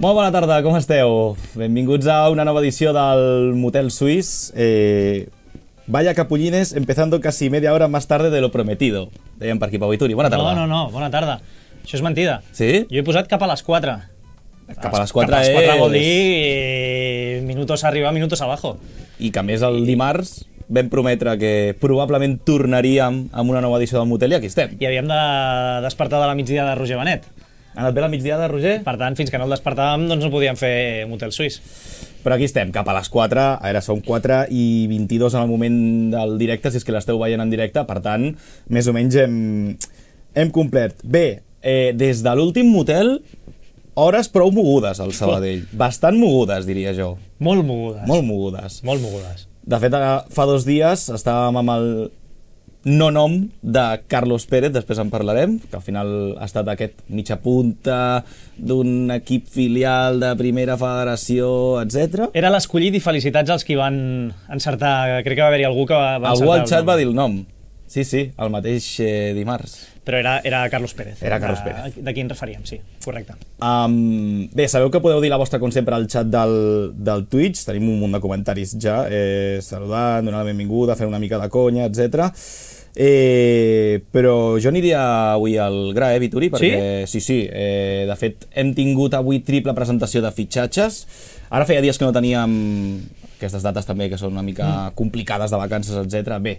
Molt bona tarda, com esteu? Benvinguts a una nova edició del Motel Suís. Vaya capullines, empezando casi media hora más tarde de lo prometido. Deien per aquí, Pau Ituri. Bona tarda. No, bona tarda. Això és mentida. Sí? Jo he posat cap a les 4. Cap a les 4 cap a les 4 és... vol dir minutos arriba, minutos abajo. I que a més el dimarts vam prometre que probablement tornaríem amb una nova edició del Motel i aquí estem. I havíem de despertar de la migdia de Roger Benet. Ha anat bé la migdiada, Roger? Per tant, fins que no el despertàvem, doncs no podíem fer Motel Suís. Però aquí estem, cap a les 4. A veure, són 4 i 22 en el moment del directe, si és que l'esteu veient en directe. Per tant, més o menys hem complert. Bé, des de l'últim motel, hores prou mogudes al Sabadell. Bastant mogudes, diria jo. Molt mogudes. Molt mogudes. Molt mogudes. De fet, fa 2 dies estàvem amb el no-nom de Carlos Pérez, després en parlarem, que al final ha estat aquest mitja punta d'un equip filial de primera federació, etc. Era l'escollit i felicitats als qui van encertar. Crec que va haver-hi algú que va encertar. Algú al xat va dir el nom. Sí, el mateix dimarts. Però era Carlos Pérez. Era Carlos Pérez. De qui ens referíem, sí, correcte. Bé, sabeu que podeu dir la vostra, com sempre, al xat del Twitch. Tenim un munt de comentaris ja, saludant, donant la benvinguda, fent una mica de conya, etc. Però jo aniria avui al gra, Vituri, perquè sí. De fet, hem tingut avui triple presentació de fitxatges. Ara feia dies que no teníem aquestes dates també, que són una mica complicades de vacances, etc. Bé,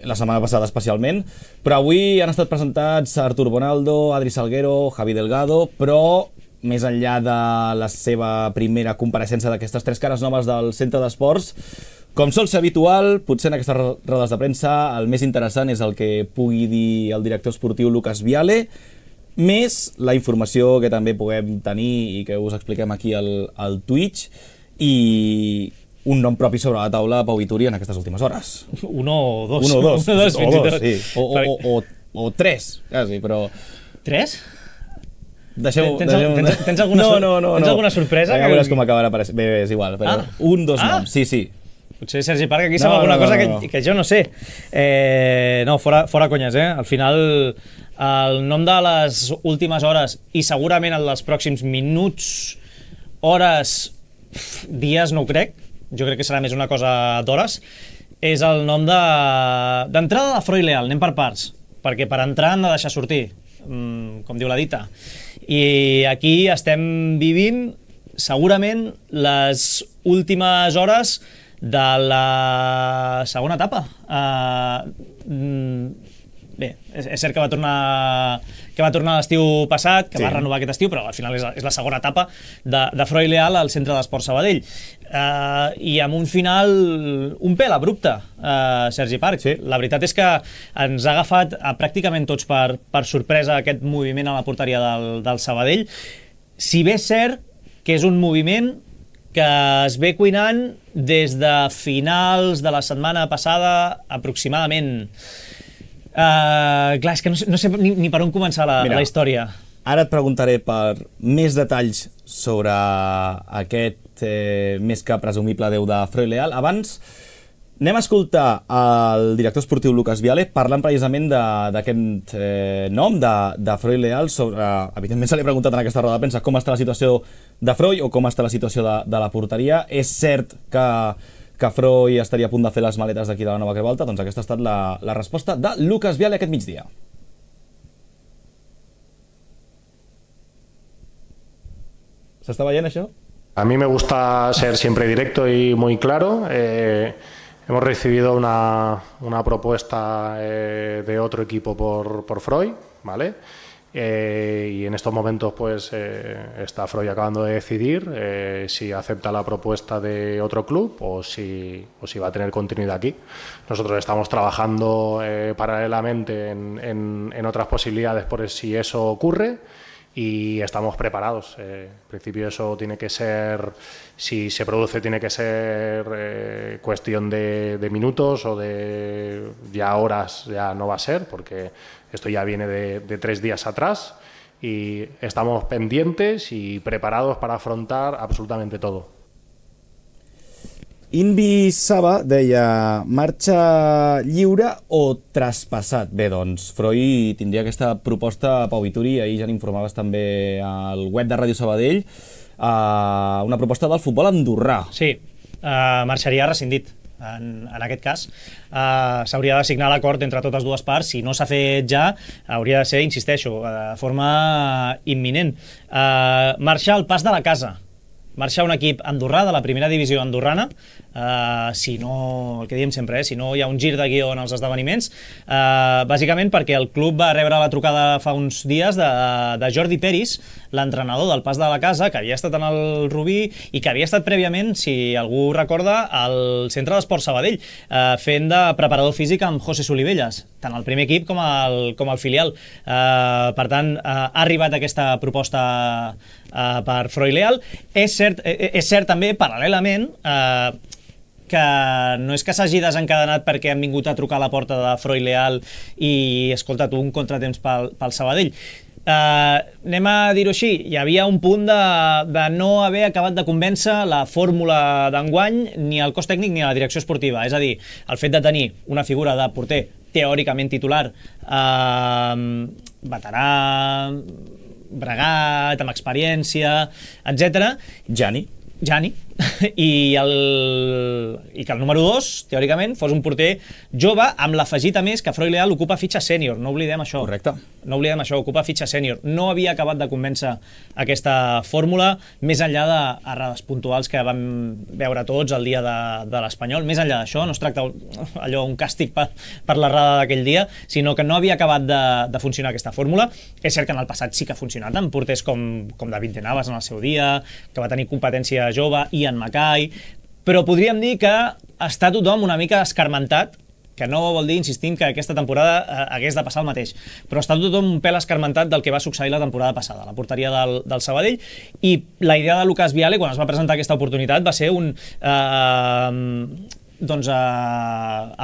la setmana passada especialment, però avui han estat presentats Artur Bonaldo, Adri Salguero, Javi Delgado, però més enllà de la seva primera compareixença d'aquestes 3 cares noves del centre d'esports, com sol ser habitual, potser en aquestes rodes de premsa el més interessant és el que pugui dir el director esportiu Lucas Viale, més la informació que també puguem tenir i que us expliquem aquí al Twitch, i un nom propi sobre la taula, Pau Ituri, en aquestes últimes hores. Uno o dos. Uno o dos, sí. O 3, quasi, però... 3? Deixeu... Tens alguna sorpresa? Ja veuràs com acabarà. Bé, és igual, però dos noms, sí. Potser Sergi Parc aquí sap alguna cosa que jo no sé. No, fora conyes, Al final, el nom de les últimes hores i segurament el dels pròxims minuts, hores, dies, no ho crec, jo crec que serà més una cosa d'hores, és el nom d'entrada de Freud Leal. Anem per parts, perquè per entrar han de deixar sortir, com diu la dita. I aquí estem vivint segurament les últimes hores de la segona etapa. Bé, és cert que va tornar l'estiu passat, que va renovar aquest estiu, però al final és la segona etapa de Freud Leal al centre d'Esport Sabadell. I amb un final un pèl abrupte, Sergi Parc. Sí. La veritat és que ens ha agafat pràcticament tots per sorpresa aquest moviment a la porteria del Sabadell. Si bé és cert que és un moviment que es ve cuinant des de finals de la setmana passada aproximadament. Clar, és que no sé ni per on començar la història. Ara et preguntaré per més detalls sobre aquest més que presumible adeu de Freud Leal. Abans anem a escoltar el director esportiu Lucas Viale parlant precisament d'aquest nom de Freud Leal. Evidentment se li ha preguntat en aquesta roda de premsa com està la situació de Freud o com està la situació de la porteria. És cert que Freud estaria a punt de fer les maletes d'aquí de la Nova Creu Alta, doncs aquesta ha estat la resposta de Lucas Viale aquest migdia. ¿S'està veient això? A mí me gusta ser siempre directo y muy claro. Hemos recibido una propuesta de otro equipo por Freud, ¿vale? Y en estos momentos pues está Freud acabando de decidir si acepta la propuesta de otro club o si va a tener continuidad aquí. Nosotros estamos trabajando paralelamente en otras posibilidades por si eso ocurre y estamos preparados. En principio eso tiene que ser, si se produce, tiene que ser cuestión de minutos o de ya horas, ya no va a ser, porque esto ya viene de 3 días atrás y estamos pendientes y preparados para afrontar absolutamente todo. Invi Saba deia marxa lliure o traspassat. Bé, doncs, Freud tindria aquesta proposta a Pau Vituri, ahir ja n'informaves també al web de Ràdio Sabadell. una proposta del futbol andorrà. Sí, marxaria rescindit. En aquest cas s'hauria de signar l'acord entre totes dues parts. Si no s'ha fet ja, hauria de ser, insisteixo, de forma imminent. Marxar al pas de la casa, marxar un equip andorrà de la primera divisió andorrana, si no, el que diem sempre, si no hi ha un gir de guió en els esdeveniments, bàsicament perquè el club va rebre la trucada fa uns dies de Jordi Peris, l'entrenador del pas de la casa, que havia estat en el Rubí i que havia estat prèviament, si algú recorda, al Centre d'Esport Sabadell, fent de preparador físic amb José Solivelles, tant el primer equip com el filial. Per tant, ha arribat aquesta proposta per Froi Leal. És cert també, paral·lelament, que no és que s'hagi desencadenat perquè han vingut a trucar a la porta de Froi Leal i, escolta, tu, un contratemps pel Sabadell. Anem a dir-ho així, hi havia un punt de no haver acabat de convèncer la fórmula d'enguany, ni el cos tècnic ni la direcció esportiva. És a dir, el fet de tenir una figura de porter teòricament titular, veterà, bregat, amb experiència, etc. Gianni, i que el número 2, teòricament, fos un porter jove, amb l'afegit a més que Froi Leal ocupa fitxa sènior, no oblidem això. Correcte. No oblidem això, ocupa fitxa sènior. No havia acabat de convèncer aquesta fórmula, més enllà d'errades puntuals que vam veure tots el dia de l'Espanyol. Més enllà d'això, no es tracta allò un càstig per l'errada d'aquell dia, sinó que no havia acabat de funcionar aquesta fórmula. És cert que en el passat sí que ha funcionat, amb porters com David de Navas en el seu dia, que va tenir competència jove, i en Macai, però podríem dir que està tothom una mica escarmentat, que no vol dir, insistim, que aquesta temporada hagués de passar el mateix, però està tothom un pèl escarmentat del que va succeir la temporada passada, la porteria del Sabadell, i la idea de Lucas Viale, quan es va presentar aquesta oportunitat, va ser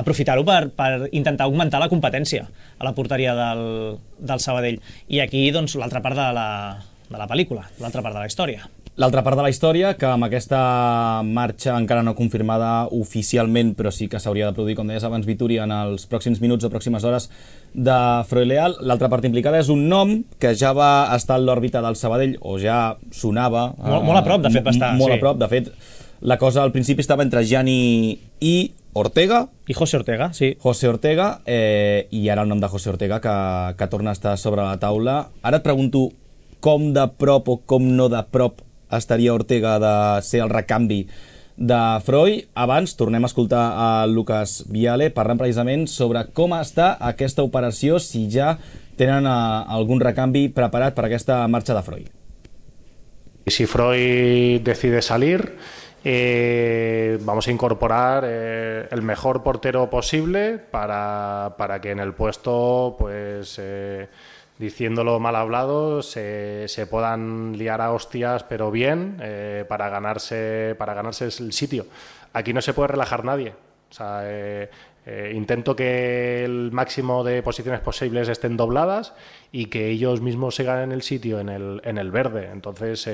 aprofitar-ho per intentar augmentar la competència a la porteria del Sabadell. I aquí, doncs, l'altra part de la pel·lícula, l'altra part de la història. L'altra part de la història, que amb aquesta marxa encara no confirmada oficialment, però sí que s'hauria de produir, com deies abans, Vituri, en els pròxims minuts o pròximes hores de Froi Leal. L'altra part implicada és un nom que ja va estar en l'òrbita del Sabadell, o ja sonava... Molt a prop, de fet, va estar. Molt a prop, de fet, la cosa al principi estava entre Gianni i Ortega. I José Ortega, sí. José Ortega, i ara el nom de José Ortega, que torna a estar sobre la taula. Ara et pregunto com de prop o com no de prop estaria Ortega de ser el recanvi de Froi. Abans tornem a escoltar a Lucas Viale parlant precisament sobre com està aquesta operació, si ja tenen algun recanvi preparat per aquesta marxa de Froi. Si Froi decide salir, vamos a incorporar el mejor portero posible para que en el puesto, pues diciéndolo mal hablado, se puedan liar a hostias, pero bien, para ganarse el sitio. Aquí no se puede relajar nadie. O sea, intento que el máximo de posiciones posibles estén dobladas y que ellos mismos se ganen el sitio en el verde. Entonces,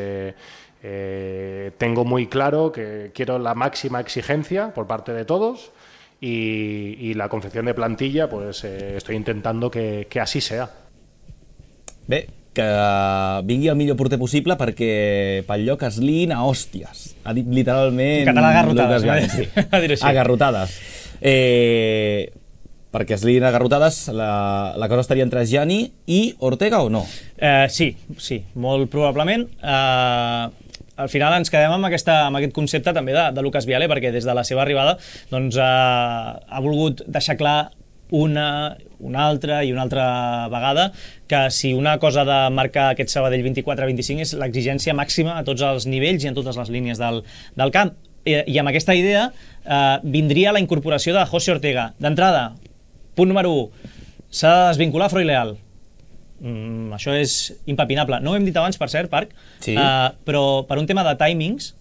tengo muy claro que quiero la máxima exigencia por parte de todos y la confección de plantilla, pues estoy intentando que así sea. Bé, que vingui el millor porter possible perquè pel lloc es liïn a hòsties. Ha dit literalment... En català, agarrotades. Sí. Agarrotades. Perquè es liïn agarrotades, la cosa estaria entre Gianni i Ortega o no? Sí, molt probablement. Al final ens quedem amb aquest concepte també de Lucas Viale, perquè des de la seva arribada doncs, ha volgut deixar clar una altra vegada que si una cosa de marcar aquest Sabadell 24-25 és l'exigència màxima a tots els nivells i en totes les línies del camp. I amb aquesta idea vindria la incorporació de José Ortega. D'entrada, punt número 1, s'ha de desvincular Froi Leal. Això és impepinable. No ho hem dit abans, per cert, Parc, sí. Però per un tema de timings,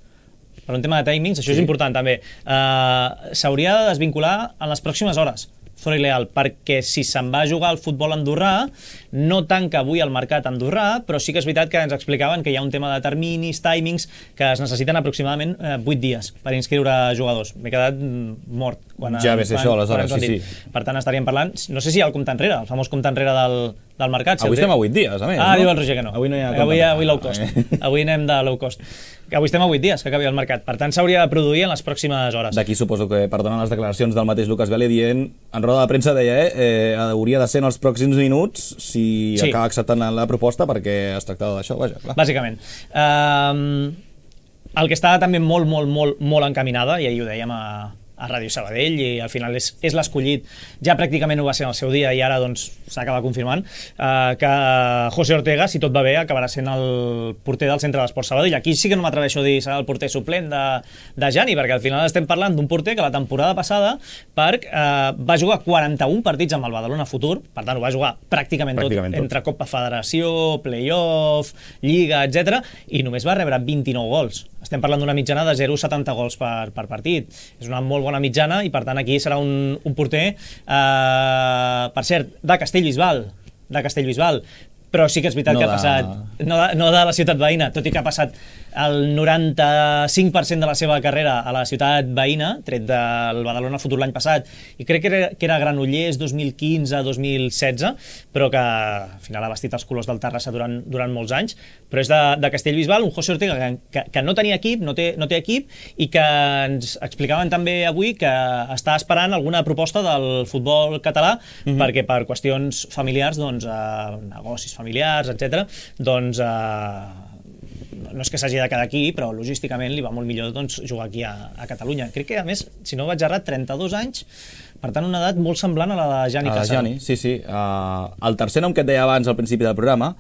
això és important també, s'hauria de desvincular en les pròximes hores Froi Leal, perquè si se'n va jugar al futbol andorrà, no tanca avui el mercat andorrà, però sí que és veritat que ens explicaven que hi ha un tema de terminis, timings, que es necessiten aproximadament 8 dies per inscriure jugadors. M'he quedat mort. Ja ves això, aleshores, sí. Per tant, estaríem parlant, no sé si el compte enrere, el famós compte enrere del mercat. Avui estem a 8 dies, a més, no? Diu el Roger que no. Avui no hi ha avui low cost. Avui anem de low cost. Avui estem a 8 dies que acabi el mercat. Per tant, s'hauria de produir en les pròximes hores. D'aquí suposo que perdonen les declaracions del mateix Lucas Viale dient, en roda de premsa deia, hauria de ser en els pròxims minuts si acaba acceptant la proposta, perquè es tractava d'això, vaja, clar. Bàsicament. El que està també molt encaminada, i ahir ho dèiem a Ràdio Sabadell, i al final és l'escollit, ja pràcticament ho va ser en el seu dia i ara doncs s'acaba confirmant, que José Ortega, si tot va bé, acabarà sent el porter del Centre d'Esports Sabadell. Aquí sí que no m'atreveixo a dir serà el porter suplent de Gianni, perquè al final estem parlant d'un porter que la temporada passada va jugar 41 partits amb el Badalona Futur, per tant ho va jugar pràcticament tot, entre Copa Federació, Playoff, Lliga, etc, i només va rebre 29 gols. Estem parlant d'una mitjana de 0,70 gols per partit. És una molt bona mitjana i per tant aquí serà un porter, per cert, de Castellbisbal, però sí que és veritat que ha passat no de la ciutat veïna, tot i que ha passat el 95% de la seva carrera a la ciutat veïna, tret del Badalona Futur l'any passat, i crec que era Granollers 2015-2016, però que al final ha vestit els colors del Terrassa durant molts anys, però és de Castellbisbal, un José Ortega que no tenia equip, no té equip, i que ens explicaven també avui que està esperant alguna proposta del futbol català, perquè per qüestions familiars, doncs, negocis familiars, etc., doncs no és que s'hagi de quedar aquí, però logísticament li va molt millor doncs, jugar aquí a Catalunya. Crec que, a més, si no vaig errat, 32 anys, per tant, una edat molt semblant a la de Gianni Cassano. Sí. El tercer nom que et deia abans al principi del programa,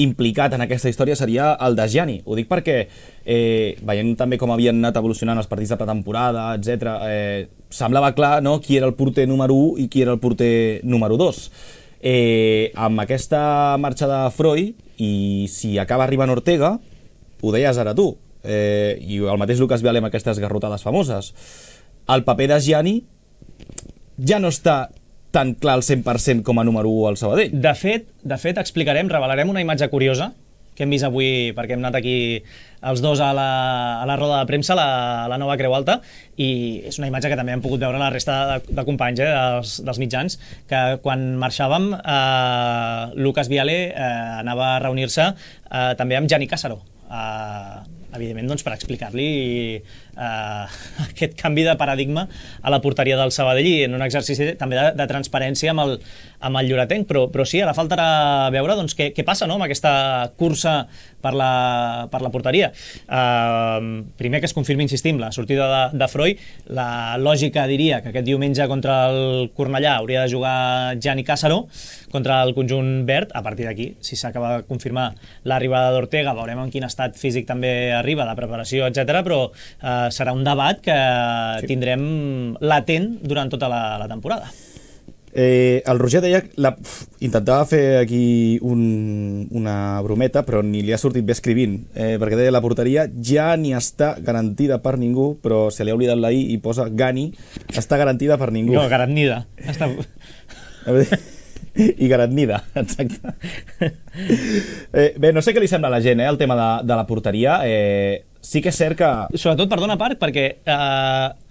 implicat en aquesta història, seria el de Gianni. Ho dic perquè, veient també com havien anat evolucionant els partits de pretemporada, etc., semblava clar, no?, qui era el porter número 1 i qui era el porter número 2. Amb aquesta marxa de Freud, i si acaba arribant Ortega, ho deies ara tu, i el mateix Lucas Viale amb aquestes garrotades famoses, el paper de Gianni ja no està tan clar al 100% com a número 1 al Sabadell. De fet, revelarem una imatge curiosa que hem vist avui, perquè hem anat aquí els dos a la roda de premsa, la nova Creu Alta, i és una imatge que també hem pogut veure la resta de companys dels mitjans, que quan marxàvem, Lucas Viale anava a reunir-se també amb Gianni Cassano, evidentment doncs, per explicar-li aquest canvi de paradigma a la porteria del Sabadell, i en un exercici també de transparència amb el lloretenc, però sí, ara faltarà veure doncs, què passa, no?, amb aquesta cursa per la porteria. Primer que es confirmi, insistim, la sortida de Freud. La lògica diria que aquest diumenge contra el Cornellà hauria de jugar Gianni Cassano contra el conjunt verd. A partir d'aquí, si s'acaba de confirmar l'arribada d'Ortega, veurem en quin estat físic també arriba, de preparació, etc. Però serà un debat que tindrem latent durant tota la temporada. El Roger deia, intentava fer aquí una brometa, però ni li ha sortit bé escrivint, perquè deia la porteria ja ni està garantida per ningú, però se li ha oblidat la I i posa Gani, està garantida per ningú. No, garantida. I garantida, exacte. Bé, no sé què li sembla a la gent, el tema de la porteria. Sí que és cert que... Sobretot, perdona, Parc, perquè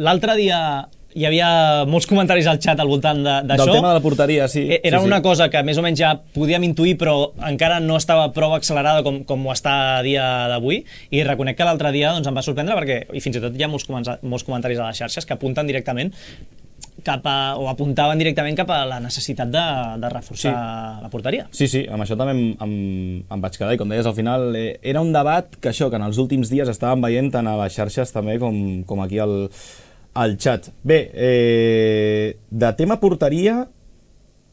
l'altre dia hi havia molts comentaris al xat al voltant d'això. Del tema de la porteria, sí. Era una cosa que més o menys ja podíem intuir, però encara no estava prou accelerada com ho està a dia d'avui, i reconec que l'altre dia doncs, em va sorprendre perquè, i fins i tot hi ha molts comentaris a les xarxes que apunten directament o apuntaven directament cap a la necessitat de reforçar la porteria. Sí, amb això també em vaig quedar, i com deies, al final era un debat que en els últims dies estàvem veient tant a les xarxes també com aquí al xat. Bé, de tema porteria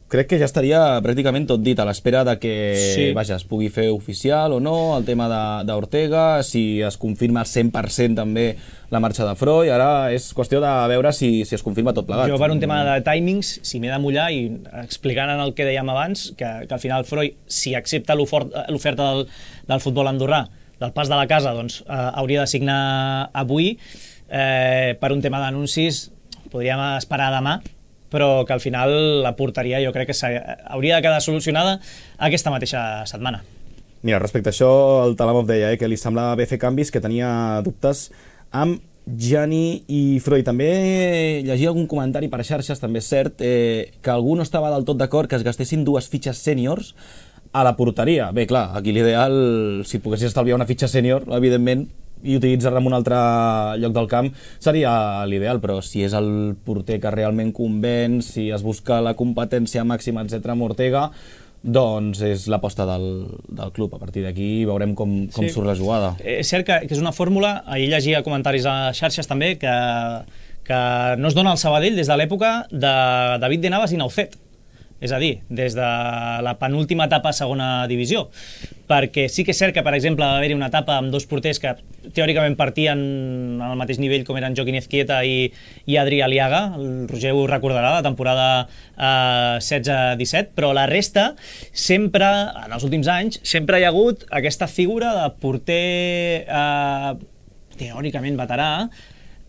crec que ja estaria pràcticament tot dit, a l'espera de que es pugui fer oficial o no el tema d'Ortega, si es confirma 100% també la marxa de Freud. Ara és qüestió de veure si es confirma tot plegat. Jo, per un tema de timings, si m'he de mullar, i explicant en el que dèiem abans, que al final Freud, si accepta l'oferta del futbol andorrà, del pas de la casa, doncs hauria de signar avui. Per un tema d'anuncis podríem esperar demà, però que al final la porteria jo crec que hauria de quedar solucionada aquesta mateixa setmana. Mira, respecte a això, el Talamov deia que li semblava bé fer canvis, que tenia dubtes amb Gianni i Freud. També llegia algun comentari per xarxes, també és cert, que algú no estava del tot d'acord que es gastessin 2 fitxes sèniors a la porteria. Bé, clar, aquí l'ideal, si poguessis estalviar una fitxa sènior, evidentment, i utilitzar-la en un altre lloc del camp, seria l'ideal, però si és el porter que realment convenç, si es busca la competència màxima, etc. amb Ortega, doncs és l'aposta del club. A partir d'aquí veurem com surt la jugada. És cert que és una fórmula, ahir llegia comentaris a xarxes també, que no es dona al Sabadell des de l'època de David de Navas i Naucet. És a dir, des de la penúltima etapa a segona divisió. Perquè sí que és cert que, per exemple, va haver-hi una etapa amb 2 porters que teòricament partien al mateix nivell com eren Joaquín Ezquieta i Adri Aliaga. El Roger ho recordarà, la temporada 16-17, però la resta, sempre, en els últims anys, sempre hi ha hagut aquesta figura de porter teòricament veterà,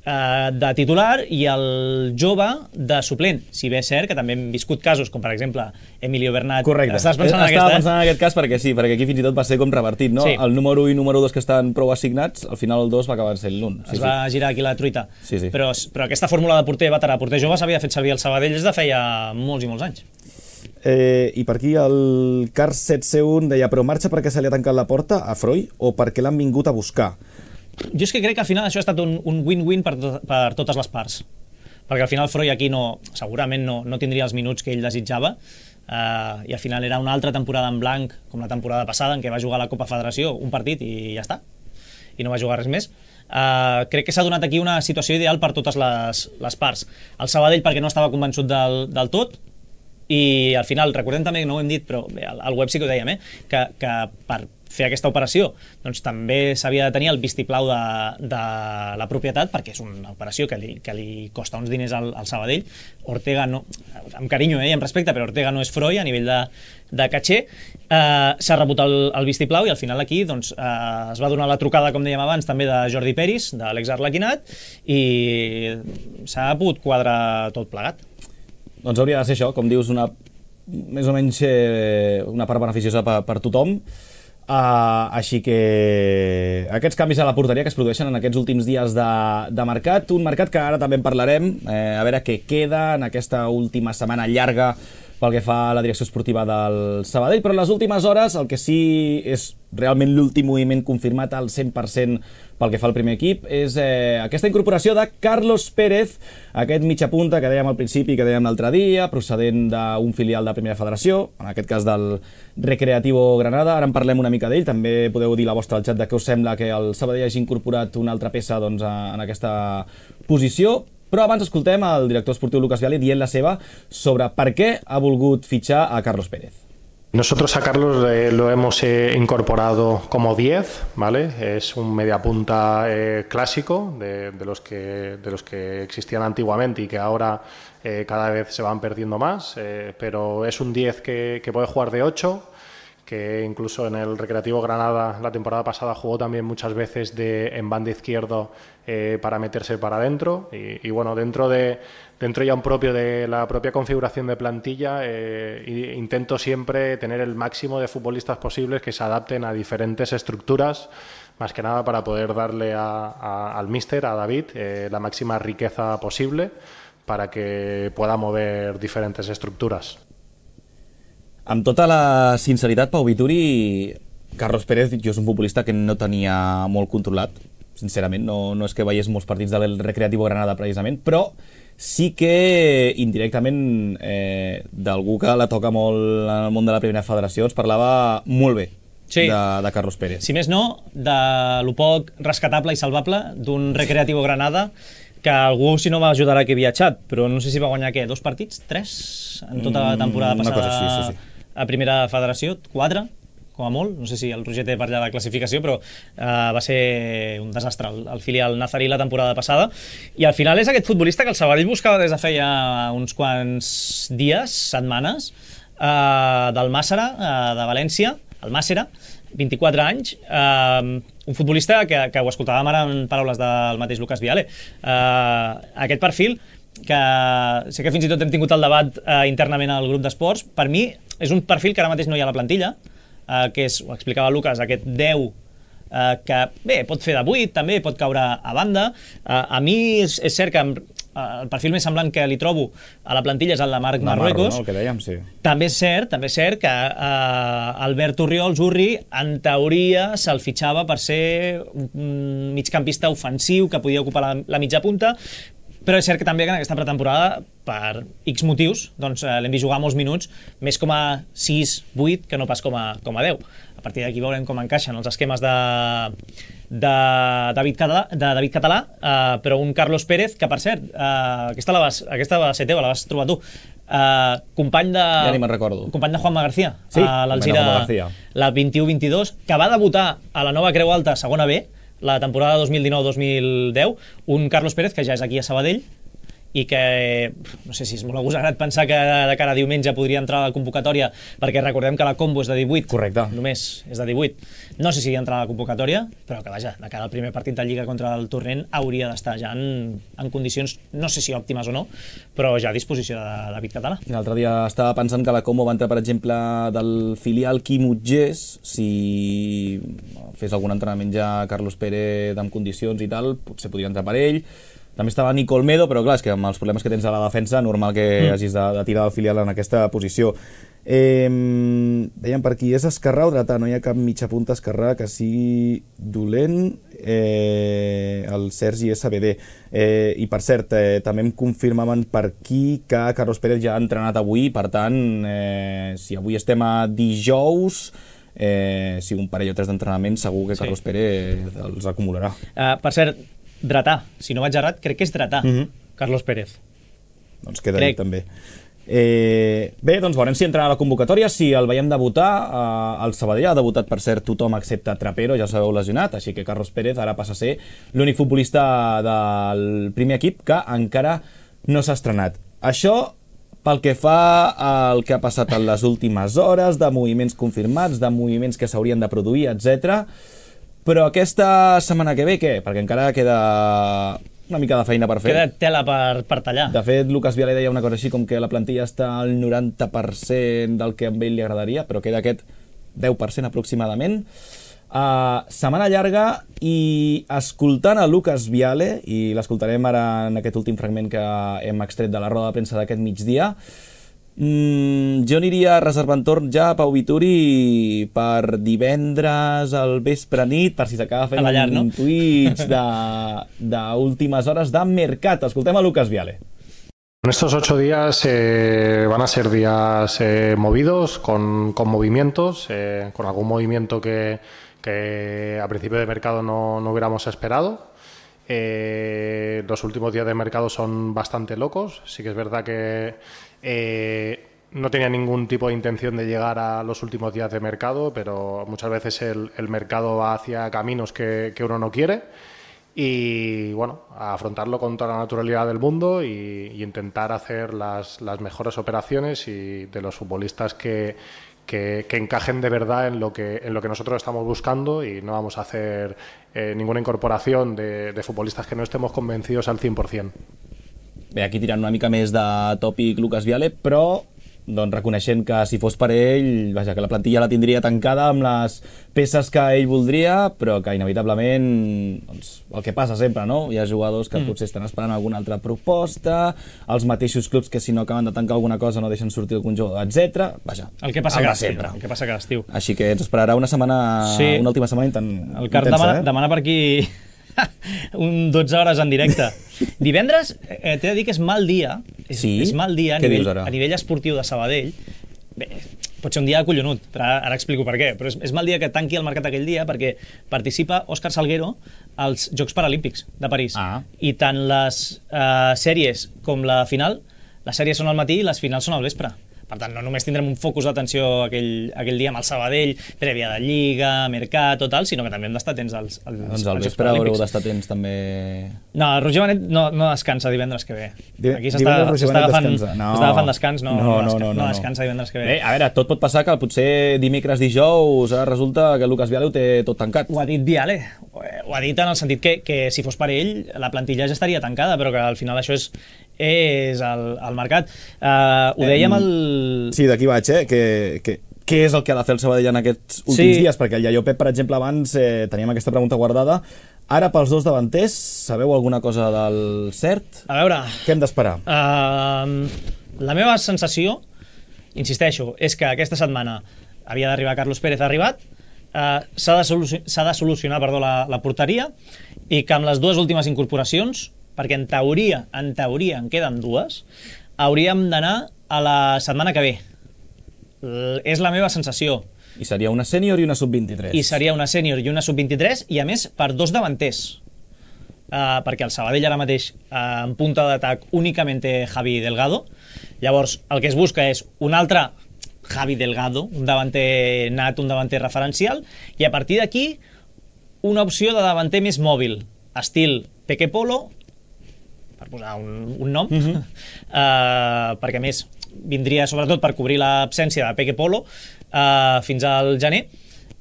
de titular i el jove de suplent. Si bé és cert que també hem viscut casos com per exemple Emilio Bernat. Correcte. Estava pensant en aquest cas perquè sí, perquè aquí fins i tot va ser com revertit, no? Sí. El número 1 i número 2 que estan prou assignats, al final el 2 va acabar sent l'1. Es va girar aquí la truita. Sí. Però aquesta fórmula de porter veterà, porter jove s'havia fet servir al Sabadell des de feia molts i molts anys. I per aquí el Cars 7C1 deia, però marxa perquè se li ha tancat la porta a Freud o perquè l'han vingut a buscar? Jo és que crec que al final això ha estat un win-win per totes les parts, perquè al final Freud aquí segurament no tindria els minuts que ell desitjava, i al final era una altra temporada en blanc com la temporada passada en què va jugar a la Copa Federació un partit i ja està, i no va jugar res més. Crec que s'ha donat aquí una situació ideal per totes les parts. El Sabadell perquè no estava convençut del tot, i al final, recordem també que no ho hem dit, però al web sí que ho dèiem, que per fer aquesta operació doncs també s'havia de tenir el vistiplau de la propietat, perquè és una operació que li costa uns diners al Sabadell. Ortega no, amb carinyo i amb respecte, però Ortega no és Freud a nivell de caché. S'ha rebut el vistiplau i al final aquí doncs, es va donar la trucada, com dèiem abans, també de Jordi Peris, de l'ex-Arlequinat, i s'ha pogut quadrar tot plegat. Doncs hauria de ser això, com dius, més o menys una part beneficiosa per tothom. Així que aquests canvis a la porteria que es produeixen en aquests últims dies de mercat, un mercat que ara també en parlarem, a veure què queda en aquesta última setmana llarga pel que fa a la direcció esportiva del Sabadell, però en les últimes hores el que sí és realment l'últim moviment confirmat al 100% pel que fa al primer equip és aquesta incorporació de Carlos Pérez, aquest mitja punta que dèiem al principi, que dèiem l'altre dia, procedent d'un filial de Primera Federació, en aquest cas del Recreativo Granada. Ara en parlem una mica d'ell, també podeu dir la vostra al xat de què us sembla que el Sabadell hagi incorporat una altra peça doncs, en aquesta posició. Però abans escoltem el director esportiu Lucas Viale dient la seva sobre per què ha volgut fitxar a Carlos Pérez. Nosotros a Carlos lo hemos incorporado como 10, ¿vale? Es un mediapunta clásico de los que existían antiguamente y que ahora cada vez se van perdiendo más, pero es un 10 que puede jugar de 8, que incluso en el Recreativo Granada la temporada pasada jugó también muchas veces en banda izquierdo para meterse para adentro y bueno, dentro ya un propio de la propia configuración de plantilla intento siempre tener el máximo de futbolistas posibles que se adapten a diferentes estructuras, más que nada para poder darle al míster, a David, la máxima riqueza posible para que pueda mover diferentes estructuras. Amb tota la sinceritat, Pau Vituri, Carlos Pérez jo és un futbolista que no tenia molt controlat, sincerament, no és que veiés molts partits del Recreativo Granada precisament, però sí que indirectament d'algú que la toca molt en el món de la Primera Federació ens parlava molt bé de Carlos Pérez. Si més no, de lo poc rescatable i salvable d'un Recreativo Granada que algú, si no va ajudar que havia viatjat, però no sé si va guanyar, 2 partits? 3? En tota la temporada passada cosa, sí. A Primera Federació? 4? Com a molt? No sé si el Roger té per allà la classificació, però va ser un desastre el filial nazarí la temporada passada. I al final és aquest futbolista que el Sabadell buscava des de feia uns quants dies, setmanes, del Màssera, de València, el Màssera, 24 anys, un futbolista que ho escoltàvem ara en paraules del mateix Lucas Viale. Aquest perfil, que sé que fins i tot hem tingut el debat internament al grup d'esports, per mi és un perfil que ara mateix no hi ha a la plantilla, que és, ho explicava Lucas, aquest 10 que bé, pot fer de 8, també pot caure a banda. A mi és cert que el perfil més semblant que li trobo a la plantilla és el de Marc Marruecos. No, el que dèiem, sí. També és cert que Albert Zurri, en teoria, se'l fitxava per ser un migcampista ofensiu que podia ocupar la mitja punta, però és cert que també que en aquesta pretemporada, per X motius, doncs l'hem vist jugar molts minuts, més com a 6-8 que no pas com a 10. A partir d'aquí veurem com encaixen els esquemes de David Català, però un Carlos Pérez, que per cert, aquesta va ser teva, la vas trobar tu, company de... Ja ni me'n recordo. Company de Juanma García, sí, a l'Alzira, la 21-22, que va debutar a la nova Creu Alta, segona B, la temporada 2019-2010, un Carlos Pérez que ja és aquí a Sabadell i que, no sé si és molt agosarat pensar que de cara a diumenge podria entrar a la convocatòria, perquè recordem que la combo és de 18. Correcte. Només és de 18. No sé si entra a la convocatòria, però que vaja, de cara al primer partit de Lliga contra el Torrent hauria d'estar ja en condicions, no sé si òptimes o no, però ja a disposició de David Català. L'altre dia estava pensant que la combo va entrar, per exemple, del filial Quim Utgés, si fes algun entrenament ja Carlos Pérez amb condicions i tal, potser podria entrar per ell. També estava Nico Olmedo, però clar, és que amb els problemes que tens a la defensa, normal que hagis de tirar del filial en aquesta posició. Dèiem per aquí, és esquerrà o dretà? No hi ha cap mitja punta esquerrà que sigui dolent. El Sergi SBD. I per cert, també em confirmaven per aquí que Carlos Pérez ja ha entrenat avui, per tant, si avui estem a dijous, si un parell o tres d'entrenament, segur que Carlos Pérez els acumularà. Per cert, dretà, si no vaig errat, crec que és dretà, Carlos Pérez. Doncs queda dit també. Bé, doncs veurem si entrarà a la convocatòria, si el veiem debutar. El Sabadell ha debutat, per cert, tothom excepte Trapero, ja sabeu, lesionat, així que Carlos Pérez ara passa a ser l'únic futbolista del primer equip que encara no s'ha estrenat. Això pel que fa al que ha passat en les últimes hores, de moviments confirmats, de moviments que s'haurien de produir, etc. Però aquesta setmana que ve, què? Perquè encara queda una mica de feina per fer. Queda tela per tallar. De fet, Lucas Viale deia una cosa així com que la plantilla està al 90% del que a ell li agradaria, però queda aquest 10% aproximadament. Setmana llarga, i escoltant a Lucas Viale, i l'escoltarem ara en aquest últim fragment que hem extret de la roda de premsa d'aquest migdia, jo aniria reservant torn ja a Pau Vituri per divendres al vespre nit, per si s'acaba fent un Twitch d'últimes hores de mercat. Escoltem a Lucas Viale. Estos 8 días van a ser días movidos, con movimientos, con algún movimiento que a principio de mercado no hubiéramos esperado. Los últimos días de mercado son bastante locos. Sí que es verdad que no tenía ningún tipo de intención de llegar a los últimos días de mercado, pero muchas veces el mercado va hacia caminos que uno no quiere, y bueno, a afrontarlo con toda la naturalidad del mundo y intentar hacer las mejores operaciones y de los futbolistas que encajen de verdad en lo que nosotros estamos buscando, y no vamos a hacer ninguna incorporación de futbolistas que no estemos convencidos al 100%. Bé, aquí tirant una mica més de tòpic Lucas Viale, però doncs reconeixent que si fos per ell, vaja, que la plantilla la tindria tancada amb les peces que ell voldria, però que inevitablement, doncs, el que passa sempre, no? Hi ha jugadors que potser estan esperant alguna altra proposta, els mateixos clubs que si no acaben de tancar alguna cosa no deixen sortir el conjunt, etc. Vaja, el que passa cada estiu. Així que ens esperarà una última setmana el Carp demana per aquí un 12 hores en directe. Divendres, t'he de dir que és mal dia. És mal dia a nivell esportiu de Sabadell. Bé, pot ser un dia acollonut, però ara explico per què. Però és mal dia que tanqui el mercat aquell dia, perquè participa Òscar Salguero als Jocs Paralímpics de París. I tant les sèries com la final, les sèries són al matí i les finals són al vespre. Per tant, no només tindrem un focus d'atenció aquell dia amb el Sabadell, prèvia de Lliga, Mercat, tot tal, sinó que també hem d'estar atents als doncs al vespre haureu d'estar atents també. No, el Roger Benet no descansa divendres que ve. Aquí s'està agafant descans, no descansa divendres que ve. Bé, a veure, tot pot passar que potser dimecres, dijous, resulta que Lucas Viale ho té tot tancat. Ho ha dit Viale, ho ha dit en el sentit que si fos per ell la plantilla ja estaria tancada, però que al final això és el mercat. Ho dèiem Sí, d'aquí vaig, que què és el que ha de fer el Sabadell en aquests últims dies, perquè el Iaio Pep, per exemple, abans teníem aquesta pregunta guardada. Ara, pels dos davanters, sabeu alguna cosa del cert? A veure... Què hem d'esperar? La meva sensació, insisteixo, és que aquesta setmana havia d'arribar Carlos Pérez, ha arribat, s'ha de solucionar la porteria, i que amb les dues últimes incorporacions, perquè en teoria en queden dues, hauríem d'anar a la setmana que ve. És la meva sensació. I seria una sènior i una sub-23. I seria una sènior i una sub-23, i a més per dos davanters. Perquè el Sabadell ara mateix en punta d'atac únicament té Javi Delgado. Llavors el que es busca és un altre Javi Delgado, un davanter nat, un davanter referencial, i a partir d'aquí una opció de davanter més mòbil, estil Peque Polo, per posar un nom, perquè a més vindria sobretot per cobrir l'absència de Peque Polo fins al gener,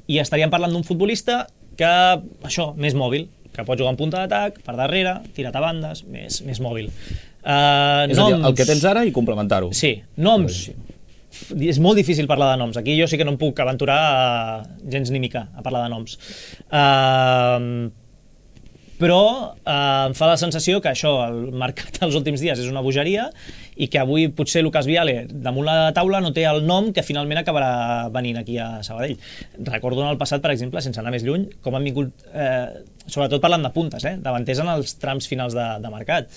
i estaríem parlant d'un futbolista que, això, més mòbil, que pot jugar en punta d'atac, per darrere, tirat a bandes, més mòbil. És a dir, el que tens ara i complementar-ho. Sí, noms. És molt difícil parlar de noms. Aquí jo sí que no em puc aventurar gens ni mica a parlar de noms. Però em fa la sensació que això, el mercat dels últims dies és una bogeria, i que avui potser Lucas Viale damunt la taula no té el nom que finalment acabarà venint aquí a Sabadell. Recordo en el passat, per exemple, sense anar més lluny, com han vingut, sobretot parlant de puntes, davanters en els trams finals de mercat.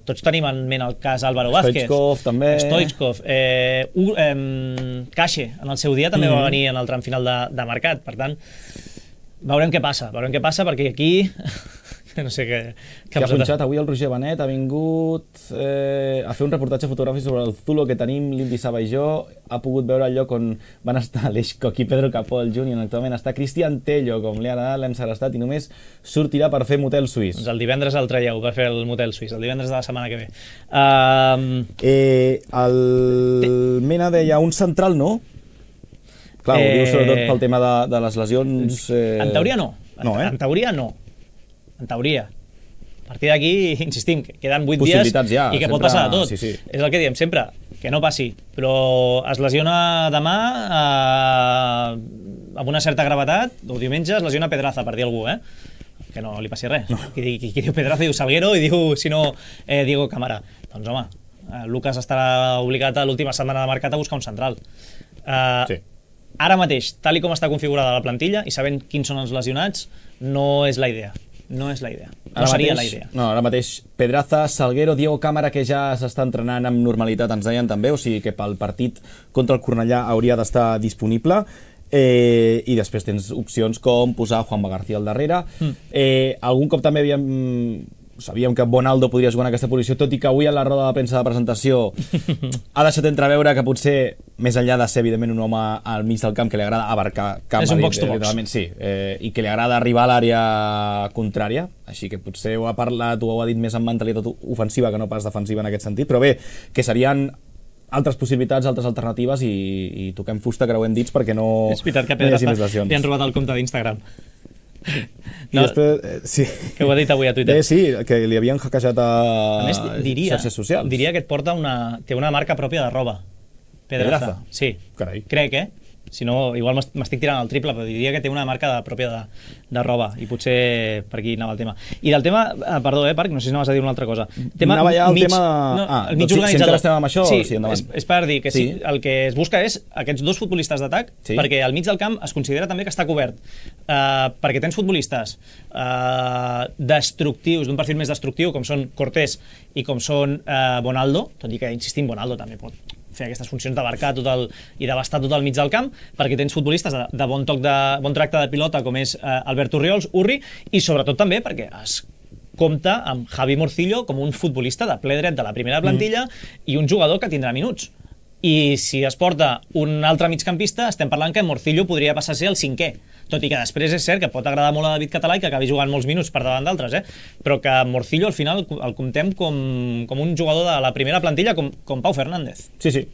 Tots tenim en ment el cas Álvaro Vázquez, Stoichkov també, Cache en el seu dia també va venir en el tram final de mercat. Per tant, veurem què passa, perquè aquí no sé què ha punxat avui el Roger Benet, ha vingut a fer un reportatge fotogràfic sobre el Zulo que tenim, l'Indy Saba i jo. Ha pogut veure el lloc on van estar Aleix Coc i Pedro Capó, el Junior. Actualment està Cristian Tello, com li ha agradat, l'hem segrestat, i només sortirà per fer motel suís. Doncs el divendres el traieu per fer el motel suís, el divendres de la setmana que ve. El Mena deia un central, no? Clar, ho diu sobretot pel tema de les lesions... En teoria no. En teoria no. En teoria. A partir d'aquí, insistim, que queden 8 dies ja, i que sempre, pot passar de tot. Sí. És el que diem sempre, que no passi. Però es lesiona demà amb una certa gravetat, o diumenge es lesiona Pedraza, per dir algú, que no li passi res. No. Qui diu Pedraza diu Salguero i diu, si no, Diego Cámara. Doncs home, Lucas estarà obligat a l'última setmana de mercat a buscar un central. Sí. Ara mateix, tal i com està configurada la plantilla i sabent quins són els lesionats, no és la idea. No és la idea. No seria la idea. No, ara mateix Pedraza, Salguero, Diego Cámara, que ja s'està entrenant amb normalitat, ens deien també, o sigui que pel partit contra el Cornellà hauria d'estar disponible. I després tens opcions com posar Juanma García al darrere. Algun cop també sabíem que Bonaldo podria jugar en aquesta posició, tot i que avui a la roda de premsa de presentació ha deixat entreveure que potser, més enllà de ser evidentment un home al mig del camp que li agrada abarcar camp, és un box-to-box. Sí, i que li agrada arribar a l'àrea contrària, així que potser ho ha parlat, ho ha dit més en mentalitat ofensiva que no pas defensiva en aquest sentit, però bé, que serien altres possibilitats, altres alternatives, i toquem fusta, creuem dits perquè no és veritat que hi hagi més lesions. li han robat el compte d'Instagram. I després, sí. Que ho ha dit avui a Twitter. Sí, que li havien hackejat a més, xarxes socials. Diria que et porta té una marca pròpia de roba. Pedraza. Sí. Carai. Crec, Si no, igual m'estic tirant al triple, però diria que té una marca pròpia de roba, i potser per aquí anava el tema. I del tema, perdó, Parc, no sé si anaves a dir una altra cosa. Anava ja el tema de... el mig organitzador. Si encara estem amb això, sí, endavant. És per dir que el que es busca és aquests dos futbolistes d'atac, perquè al mig del camp es considera també que està cobert, perquè tens futbolistes destructius, d'un perfil més destructiu, com són Cortés i com són Bonaldo, tot i que, insistim, Bonaldo també pot fer aquestes funcions d'abarcar i d'abastar tot el mig del camp, perquè tens futbolistes de bon tracte de pilota, com és Albert Urriols, Urri, i sobretot també perquè es compta amb Javi Morcillo com un futbolista de ple dret de la primera plantilla i un jugador que tindrà minuts. I si es porta un altre migcampista, estem parlant que Morcillo podria passar a ser el cinquè, tot i que després és cert que pot agradar molt a David Català i que acabi jugant molts minuts per davant d'altres, però que Morcillo al final el comptem com un jugador de la primera plantilla, com Pau Fernández. Sí.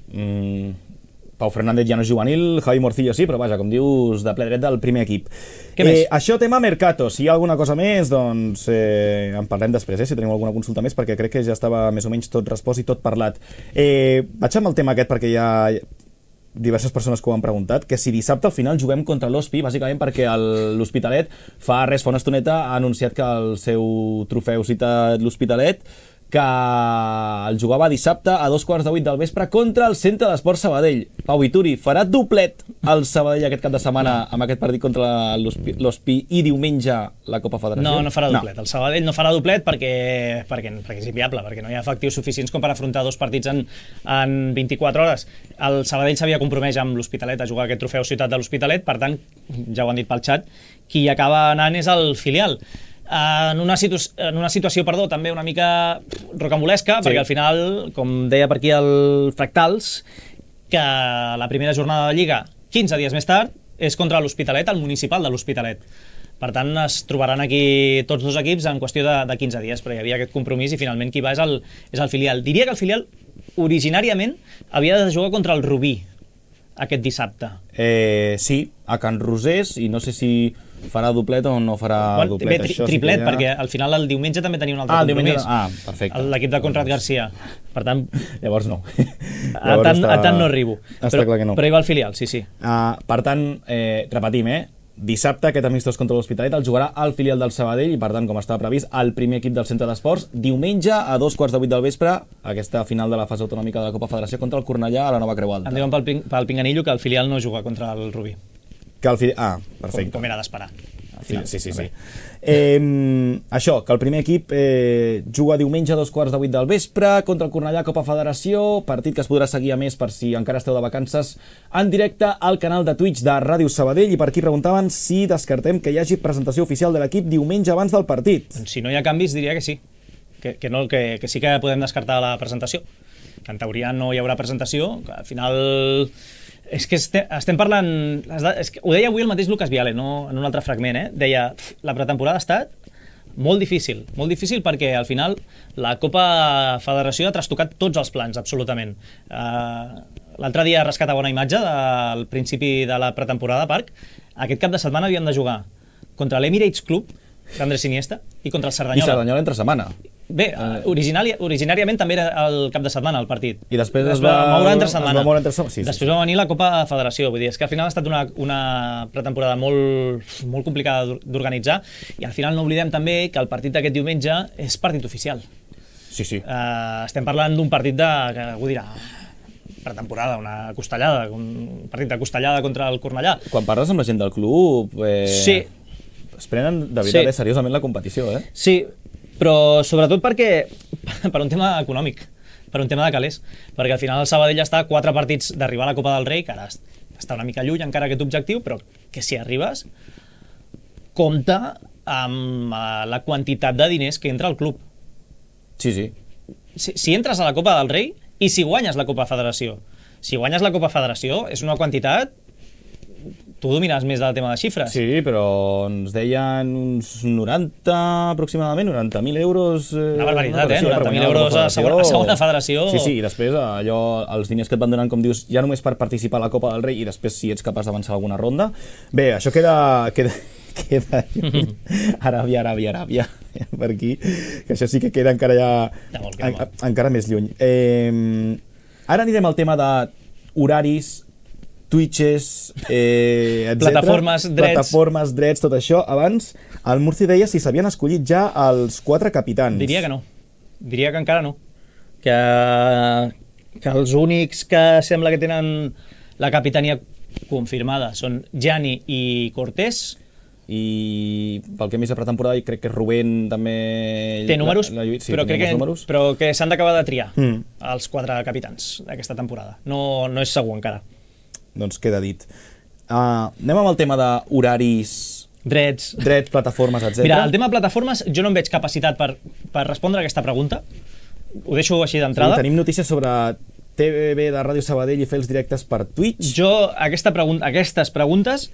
Pau Fernández ja no és juvenil, Javi Morcillo sí, però vaja, com dius, de ple dret del primer equip. Què més? Això, tema Mercato. Si hi ha alguna cosa més, doncs en parlem després, si tenim alguna consulta més, perquè crec que ja estava més o menys tot respost i tot parlat. Vaig amb el tema aquest perquè ja diverses persones que ho han preguntat, que si dissabte al final juguem contra l'Hospi, bàsicament perquè l'Hospitalet fa una estoneta ha anunciat que el seu trofeu cita l'Hospitalet, que el jugava dissabte a 2:15 del vespre contra el Centre d'Esports Sabadell. Pau Vituri, farà doblet el Sabadell aquest cap de setmana amb aquest partit contra l'Hospi i diumenge la Copa Federació? No farà doblet. El Sabadell no farà doblet perquè és inviable, perquè no hi ha efectius suficients com per afrontar dos partits en 24 hores. El Sabadell s'havia compromès amb l'Hospitalet a jugar aquest trofeu Ciutat de l'Hospitalet, per tant, ja ho han dit pel xat, qui acaba anant és el filial. En una situació també una mica rocambolesca, perquè al final, com deia per aquí el Fractals, que la primera jornada de Lliga, 15 dies més tard, és contra l'Hospitalet, el municipal de l'Hospitalet. Per tant, es trobaran aquí tots dos equips en qüestió de 15 dies, però hi havia aquest compromís i finalment qui va és el filial. Diria que el filial originàriament havia de jugar contra el Rubí aquest dissabte. Sí, a Can Rosés, i no sé si farà doblet o no farà doblet. Triplet, perquè al final el diumenge també tenia un altre compromís. Perfecte. L'equip de Conrad Garcia. Per tant... Llavors no. A tant no arribo. Està clar que no. Però hi va el filial, sí. Per tant, repetim, dissabte aquest amistós contra l'Hospitalet el jugarà al filial del Sabadell i per tant, com estava previst, el primer equip del Centre d'Esports diumenge a 2:15 del vespre, aquesta final de la fase autonòmica de la Copa Federació contra el Cornellà a la Nova Creu Alta. Em diuen pel Pinganillo que el filial no juga contra el Rubí. Perfecte. Com era d'esperar. Sí. Això, que el primer equip juga diumenge a 2:15 del vespre contra el Cornellà Copa Federació, partit que es podrà seguir a més per si encara esteu de vacances en directe al canal de Twitch de Ràdio Sabadell. I per aquí preguntaven si descartem que hi hagi presentació oficial de l'equip diumenge abans del partit. Si no hi ha canvis diria que sí, que sí que podem descartar la presentació, que en teoria no hi haurà presentació, que al final... És que estem parlant... Ho deia avui el mateix Lucas Viale, no? En un altre fragment, deia, la pretemporada ha estat molt difícil perquè al final la Copa Federació ha trastocat tots els plans, absolutament. L'altre dia rescatava una imatge del principi de la pretemporada a Parc. Aquest cap de setmana havíem de jugar contra l'Emirates Club d'Andrés Iniesta i contra el Cerdanyola. I Cerdanyola entre setmana. Bé, originàriament també era el cap de setmana el partit. I després es va moure entre setmana. Sí. Després va venir la Copa Federació. Vull dir, és que al final ha estat una pretemporada molt complicada d'organitzar i al final no oblidem també que el partit d'aquest diumenge és partit oficial. Sí. Estem parlant d'un partit que algú dirà pretemporada, una costellada, un partit de costellada contra el Cornellà. Quan parles amb la gent del club... Sí. Es prenen de veritat seriosament la competició, Sí, però sobretot per un tema econòmic, per un tema de calés, perquè al final el Sabadell està a 4 partits d'arribar a la Copa del Rei, que ara està una mica lluny encara aquest objectiu, però que si arribes compta amb la quantitat de diners que entra al club. Sí. Si entres a la Copa del Rei i si guanyes la Copa Federació, si guanyes la Copa Federació és una quantitat... Tu domines més del tema de xifres. Sí, però ens deien uns 90, aproximadament, 90.000 euros... Una barbaritat, 90.000 euros a segona federació. Sí, i després allò, els diners que et van donant, com dius, ja només per participar a la Copa del Rei i després si ets capaç d'avançar alguna ronda. Bé, això queda Aràbia, per aquí, que això sí que queda encara encara més lluny. Ara anirem al tema d'horaris, Twitches, etc. Plataformes, drets, tot això. Abans, el Murci deia si s'havien escollit ja els 4 capitans. Diria que no. Diria que encara no. Que els únics que sembla que tenen la capitania confirmada són Gianni i Cortés. I pel que hem vist a pretemporada crec que Rubén també... Té números, però que s'han d'acabar de triar els 4 capitans d'aquesta temporada. No és segur encara. Doncs queda dit. Anem amb el tema d'horaris... Drets, plataformes, etc. Mira, el tema de plataformes, jo no em veig capacitat per respondre a aquesta pregunta. Ho deixo així d'entrada. Tenim notícies sobre TVB de Ràdio Sabadell i fer els directes per Twitch. Jo, aquestes preguntes...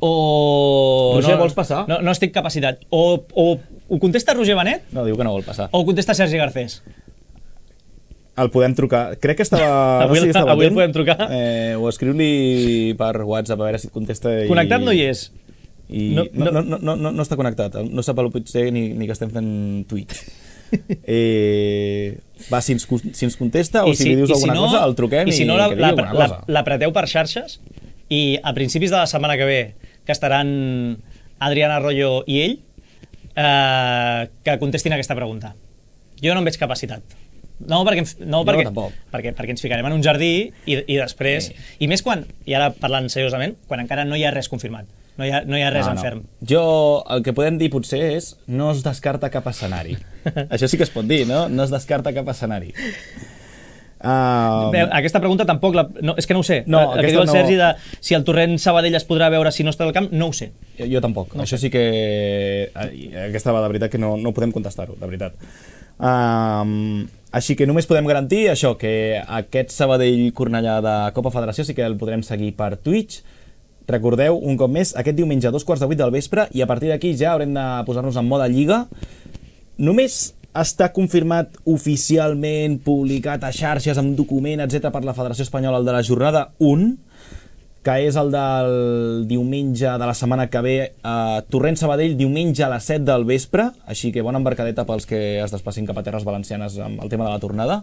Roger, vols passar? No estic capacitat. O ho contesta Roger Benet... No, diu que no vol passar. O ho contesta Sergi Garcés. El podem trucar. Crec que estava... Avui el podem trucar. O escriu-li per WhatsApp a veure si et contesta. Connectat no hi és. No està connectat. No sap potser ni que estem fent Twitch. Va, si ens contesta o si li dius alguna cosa, el truquem i que digui alguna cosa. L'apreteu per xarxes i a principis de la setmana que ve, que estaran Adrián Arroyo i ell, que contestin aquesta pregunta. Jo no em veig capacitat. Perquè ens ficarem en un jardí i després... I més quan, i ara parlant seriosament, quan encara no hi ha res confirmat. No hi ha res en ferm. Jo, el que podem dir potser és no es descarta cap escenari. Això sí que es pot dir, no? No es descarta cap escenari. Aquesta pregunta tampoc... és que no ho sé. El que diu el Sergi de si el Torrent Sabadell es podrà veure si no està al camp, no ho sé. Jo tampoc. Això sí que... Aquesta va de veritat que no podem contestar-ho, de veritat. Així que només podem garantir això, que aquest Sabadell-Cornellà de Copa Federació sí que el podrem seguir per Twitch. Recordeu, un cop més, aquest diumenge a 2:15 del vespre, i a partir d'aquí ja haurem de posar-nos en mode Lliga. Només està confirmat oficialment, publicat a xarxes, amb document, etc., per la Federació Espanyola, el de la jornada 1, que és el del diumenge de la setmana que ve, a Torrent-Sabadell, diumenge a les 7 del vespre, així que bona embarcadeta pels que es desplacin cap a terres valencianes amb el tema de la tornada.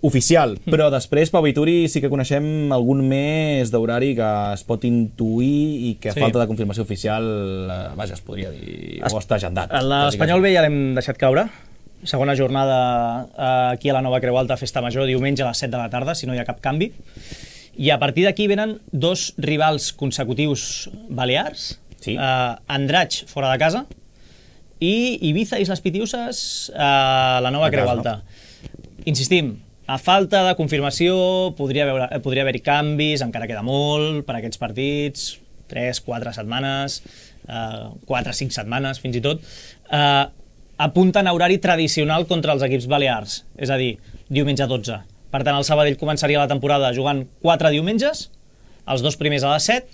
Oficial, però després, Pau Vituri, sí que coneixem algun mes d'horari que es pot intuir i que a falta de confirmació oficial, vaja, es podria dir, o està agendat. L'Espanyol B ja l'hem deixat caure. Segona jornada aquí a la Nova Creu Alta, Festa Major, diumenge a les 7 de la tarda, si no hi ha cap canvi. I a partir d'aquí venen dos rivals consecutius balears, Andratx fora de casa i Ibiza i les Pitiuses a la Nova Creu Alta. Insistim, a falta de confirmació podria haver-hi canvis, encara queda molt per aquests partits, 3-4 setmanes, 4-5 setmanes fins i tot, apunten a horari tradicional contra els equips balears, és a dir, diumenge 12. Per tant, el Sabadell començaria la temporada jugant 4 diumenges, els 2 primers a les 7,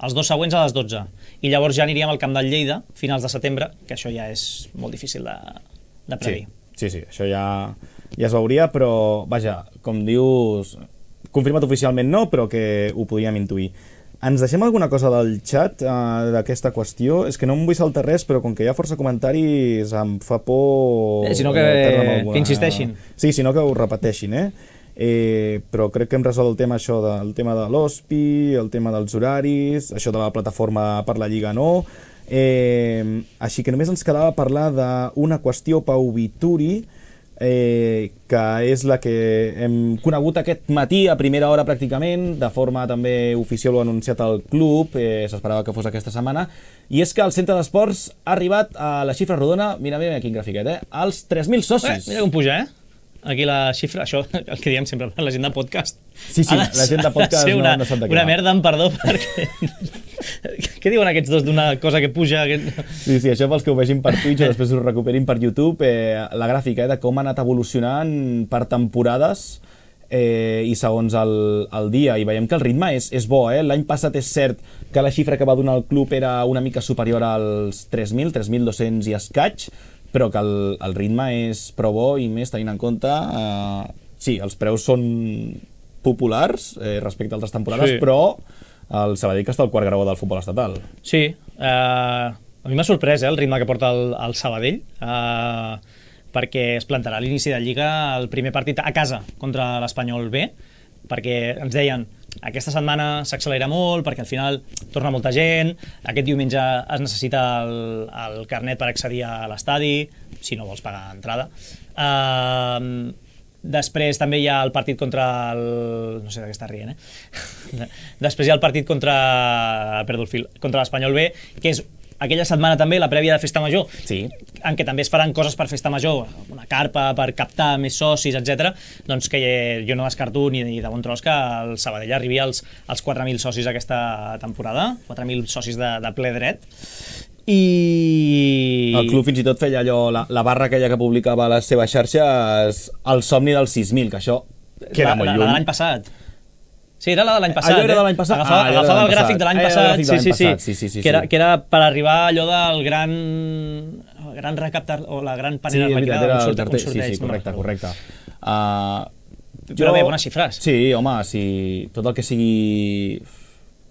els 2 següents a les 12. I llavors ja aniríem al camp del Lleida, finals de setembre, que això ja és molt difícil de predir. Sí, això ja es veuria, però, vaja, com dius, confirmat oficialment no, però que ho podíem intuir. Ens deixem alguna cosa del xat d'aquesta qüestió? És que no em vull saltar res, però com que hi ha força comentaris em fa por... Sinó que insisteixin. Sí, sinó que ho repeteixin, però crec que hem resolt el tema, això del tema de l'OSPI, el tema dels horaris, això de la plataforma per la Lliga no. Així que només ens quedava parlar d'una qüestió, Pau Vituri, que és la que hem conegut aquest matí a primera hora pràcticament, de forma també oficial, ho ha anunciat el club, s'esperava que fos aquesta setmana, i és que el centre d'esports ha arribat a la xifra rodona, mira quin grafiquet, als 3.000 socis. Mira com puja, aquí la xifra, això el que diem sempre, la gent de podcast. Sí, la gent de podcast no sap de què una merda, em perdó, perquè... Què diuen aquests dos d'una cosa que puja? Sí, això pels que ho vegin per Twitch o després ho recuperin per YouTube, la gràfica de com ha anat evolucionant per temporades i segons el dia, i veiem que el ritme és bo. L'any passat és cert que la xifra que va donar el club era una mica superior als 3.000, 3.200 i escaig, però que el ritme és prou bo, i més tenint en compte sí, els preus són populars respecte a altres temporades, però el Sabadell que està al quart graó del futbol estatal. Sí, a mi m'ha sorprès el ritme que porta el Sabadell, perquè es plantarà a l'inici de Lliga el primer partit a casa contra l'Espanyol B, perquè ens deien aquesta setmana s'accelera molt perquè al final torna molta gent, aquest diumenge es necessita el carnet per accedir a l'estadi, si no vols pagar entrada. Després també hi ha el partit contra el... no sé de què està rient, Després hi ha el partit contra l'Espanyol B, que és aquella setmana també, la prèvia de Festa Major, en què també es faran coses per Festa Major, una carpa per captar més socis, etc. Doncs que jo no descarto ni de bon tros que el Sabadell arribi als 4.000 socis aquesta temporada, 4.000 socis de ple dret. I... El club fins i tot feia allò, la barra aquella que publicava a les seves xarxes, el somni dels 6.000, que això queda molt lluny. La de l'any passat. Sí, era la de l'any passat. Allò era de l'any passat? Agafava el gràfic de l'any passat. Sí. Que era per arribar allò del gran recaptar, o la gran panera arlequinada, un sorteig. Sí, correcte. Però bé, bones xifres. Sí, home, si tot el que sigui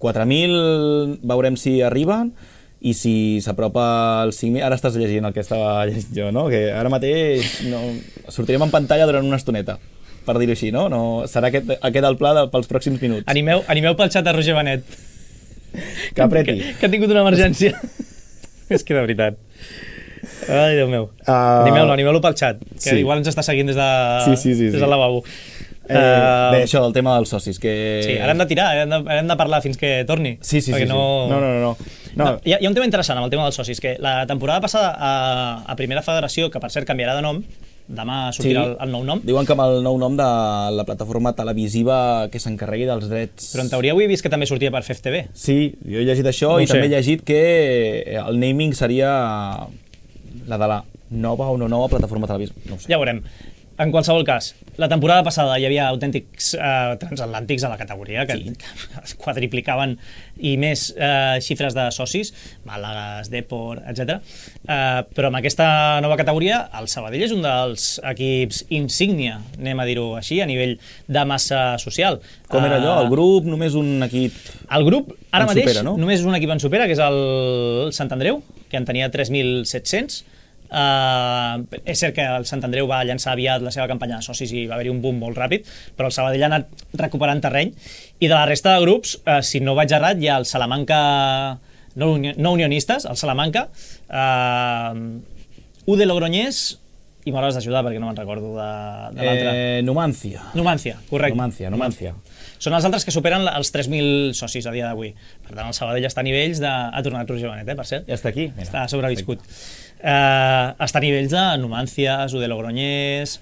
4.000 veurem si arriben, i si s'apropa al 5.000... Ara estàs llegint el que estava llegint jo, no? Que ara mateix sortirem en pantalla durant una estoneta, per dir-ho així, no? Serà aquest el pla pels pròxims minuts. Animeu pel xat de Roger Benet. Que apreti. Que ha tingut una emergència. És que de veritat. Ai, Déu meu. Animeu-lo pel xat, que igual ens està seguint des del lavabo. Bé, això del tema dels socis, que... Sí, ara hem de tirar, hem de parlar fins que torni. Sí. No. Hi ha un tema interessant amb el tema dels socis, que la temporada passada a Primera Federació, que per cert canviarà de nom, demà sortirà el nou nom. Diuen que amb el nou nom de la plataforma televisiva que s'encarregui dels drets... Però en teoria avui he vist que també sortia per FEF-TV. Sí, jo he llegit això i també he llegit que el naming seria la de la nova o no nova plataforma televisiva. No ho sé. Ja veurem. En qualsevol cas, la temporada passada hi havia autèntics transatlàntics a la categoria que es quadriplicaven i més xifres de socis, Màlagas, Depor, etc. Però amb aquesta nova categoria el Sabadell és un dels equips insígnia, anem a dir-ho així, a nivell de massa social. Com era allò? El grup, només un equip... El grup, ara mateix, supera, no? només un equip en supera, que és el Sant Andreu, que en tenia 3.700. És cert que el Sant Andreu va llançar aviat la seva campanya de socis i va haver-hi un boom molt ràpid, però el Sabadell ha anat recuperant terreny, i de la resta de grups, si no vaig errat, hi ha el Salamanca no unionistes, el Salamanca, U de Logroñés, i m'hauràs d'ajudar perquè no me'n recordo de l'altre. Numancia, correcte. Numancia. Són els altres que superen els 3.000 socis a dia d'avui. Per tant, el Sabadell està a nivells de... Ha tornat Roger Benet, per cert. Ja està aquí. Mira. Està sobreviscut. Està a nivells de Numancia, U de Logroñés...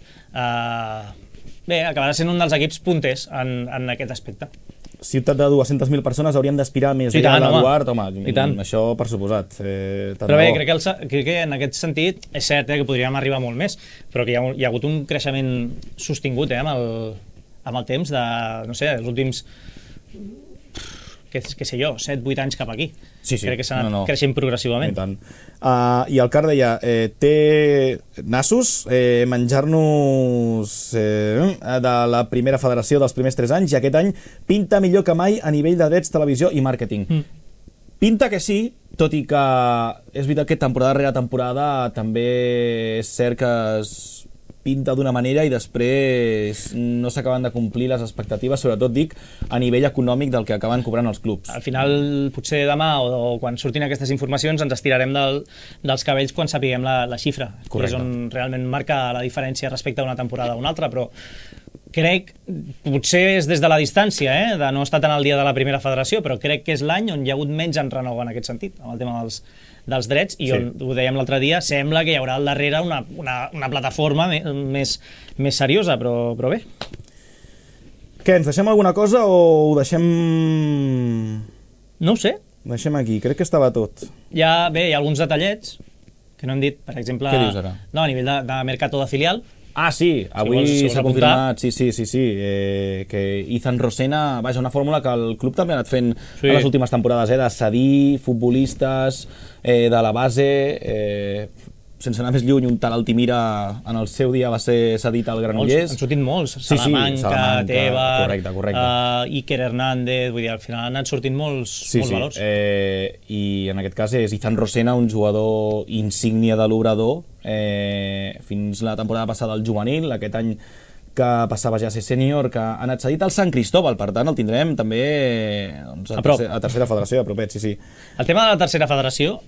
Bé, acabarà sent un dels equips punters en aquest aspecte. Ciutat de 200.000 persones haurien d'aspirar més. L'Eduard, això per suposat. Però bé, crec que en aquest sentit és cert que podríem arribar molt més, però que hi ha hagut un creixement sostingut amb el temps de, no sé, els últims, què sé jo, 7-8 anys cap aquí. Sí. Crec que s'ha anat creixent progressivament. I el Car deia, té nassos menjar-nos de la primera federació dels primers 3 anys, i aquest any pinta millor que mai a nivell de drets, televisió i màrqueting. Pinta que sí, tot i que és veritat que temporada rere temporada també és cert que es pinta d'una manera i després no s'acaben de complir les expectatives, sobretot dic a nivell econòmic del que acaben cobrant els clubs. Al final, potser demà o quan surtin aquestes informacions ens estirarem dels cabells quan sapiguem la xifra. Correcte. És on realment marca la diferència respecte a una temporada a una altra, però crec, potser és des de la distància, de no estar tan al dia de la primera federació, però crec que és l'any on hi ha hagut menys enrenou en aquest sentit, amb el tema dels drets, i on, ho dèiem l'altre dia, sembla que hi haurà al darrere una plataforma més seriosa, però bé. Què, ens deixem alguna cosa o ho deixem... No ho sé. Ho deixem aquí, crec que estava tot. Hi ha alguns detallets que no hem dit, per exemple... Què dius ara? No, a nivell de mercato de filial. Ah, sí, avui s'ha confirmat, que Izan Rosena, vaja, una fórmula que el club també ha anat fent en les últimes temporades, de cedir futbolistes de la base, sense anar més lluny, un tal Altimira en el seu dia va ser cedit al Granollers. Han sortit molts, Salamanca, Tebar, correcte. Iker Hernández, vull dir, al final han anat sortint molts valors. I en aquest cas és Izan Rosena, un jugador insígnia de l'Obrador, fins la temporada passada al juvenil, aquest any que passava ja a ser sènior, que ha anat cedit al Sant Cristóbal, per tant el tindrem també a tercera federació, a propet, sí. El tema de la tercera federació,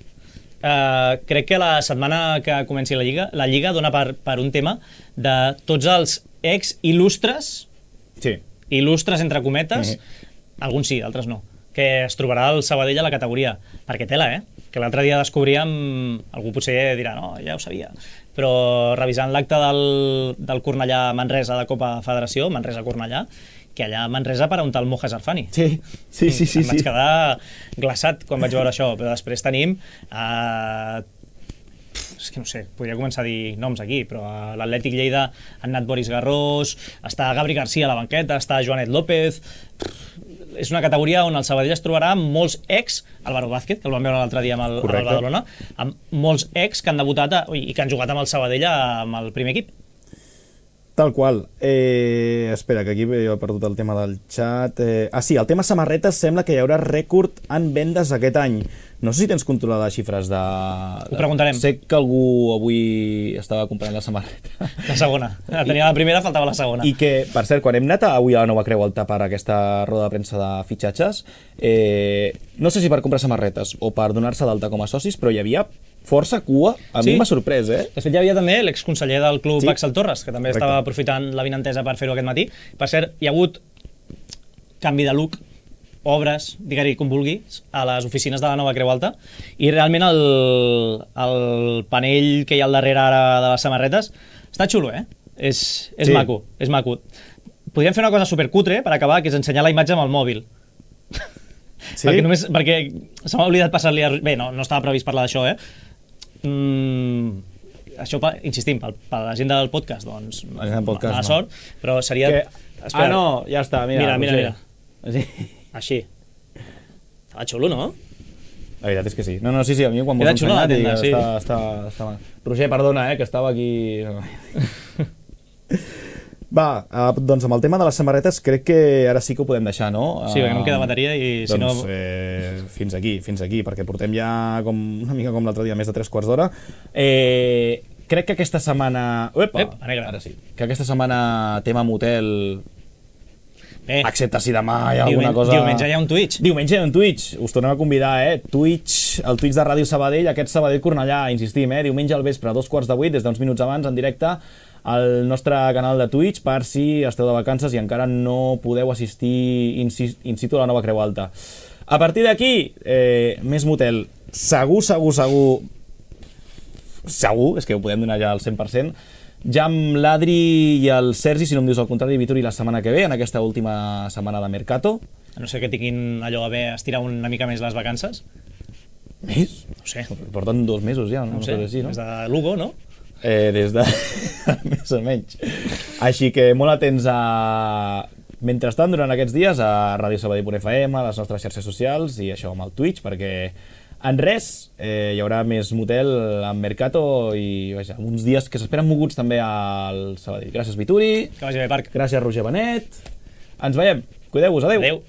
crec que la setmana que comenci la Lliga dona per un tema de tots els ex-il·lustres, il·lustres entre cometes, alguns sí, altres no, que es trobarà el Sabadell a la categoria, perquè tela, que l'altre dia descobríem, algú potser dirà, no, ja ho sabia, però revisant l'acte del Cornellà-Manresa de Copa Federació, Manresa-Cornellà, que allà a Manresa per un tal Moja Sarfani. Sí. Em vaig quedar glaçat quan vaig veure això, però després tenim... és que no sé, podria començar a dir noms aquí, però a l'Atlètic Lleida han anat Boris Garrós, està Gabri García a la banqueta, està Joanet López... És una categoria on el Sabadell es trobarà amb molts ex, Álvaro Vázquez, que el vam veure l'altre dia amb el Badalona, amb molts ex que han debutat i que han jugat amb el Sabadell amb el primer equip. Tal qual. Espera, que aquí he perdut el tema del xat. Sí, el tema samarretes sembla que hi haurà rècord en vendes aquest any. No sé si tens controlades xifres de... Ho preguntarem. Sé que algú avui estava comprant la samarreta. La segona. Tenia la primera, faltava la segona. I que, per cert, quan hem anat avui a la Nova Creu Alta per aquesta roda de premsa de fitxatges, no sé si per comprar samarretes o per donar-se d'alta com a socis, però hi havia força cua. A mi m'ha sorprès, De fet, hi havia també l'exconseller del club, Sí. Axel Torres, que també estava aprofitant la vinentesa per fer-ho aquest matí. Per cert, hi ha hagut canvi de look, obres, digue-hi com vulguis, a les oficines de la Nova Creu Alta, i realment el panell que hi ha al darrere ara de les samarretes està xulo, És Sí. maco, és maco. Podríem fer una cosa supercutre per acabar, que és ensenyar la imatge amb el mòbil. Sí? Perquè se m'ha oblidat passar-li... Bé, no estava previst parlar d'això, Això, insistim, per la gent del podcast, doncs, La gent del podcast, mala no. sort, però seria... Ah, no, ja està, mira. Mira. Sí. Així. Estava xulo, no? La veritat és que sí. No, sí, a mi quan m'ho Era has xulo la ensenyat tenda, està mal. Roger, perdona, que estava aquí... Va, doncs amb el tema de les samarretes crec que ara sí que ho podem deixar, no? Sí, perquè no em queda bateria i si doncs, no... fins aquí, perquè portem ja una mica com l'altre dia, més de 3 quarts d'hora. Crec que aquesta setmana... Ara sí. Que aquesta setmana tema motel... Excepte si demà hi ha alguna cosa... Diumenge hi ha un Twitch. Diumenge hi ha un Twitch. Us tornem a convidar, Twitch, el Twitch de Ràdio Sabadell, aquest Sabadell Cornellà, insistim, diumenge al vespre, a 7:45, des d'uns minuts abans, en directe, al nostre canal de Twitch, per si esteu de vacances i encara no podeu assistir in situ a la Nova Creu Alta. A partir d'aquí, més motel. Segur, és que ho podem donar ja al 100%, ja amb l'Adri i el Sergi, si no em dius el contrari, Vituri, la setmana que ve, en aquesta última setmana de Mercato. A no ser que tinguin allò a haver estirar una mica més les vacances. Més? No sé. Porten 2 mesos ja, No sé, així, no? des de Lugo, no? Des de... més o menys. Així que molt atents a... Mentrestant, durant aquests dies, a Ràdio Sabadell.fm, a les nostres xarxes socials i això amb el Twitch, perquè en res hi haurà més motel en Mercato i vaja, uns dies que s'esperen moguts també al Sabadell. Gràcies, Vituri. Que vagi bé, Parc. Gràcies, Roger Benet. Ens veiem. Cuideu-vos. Adéu. Adéu.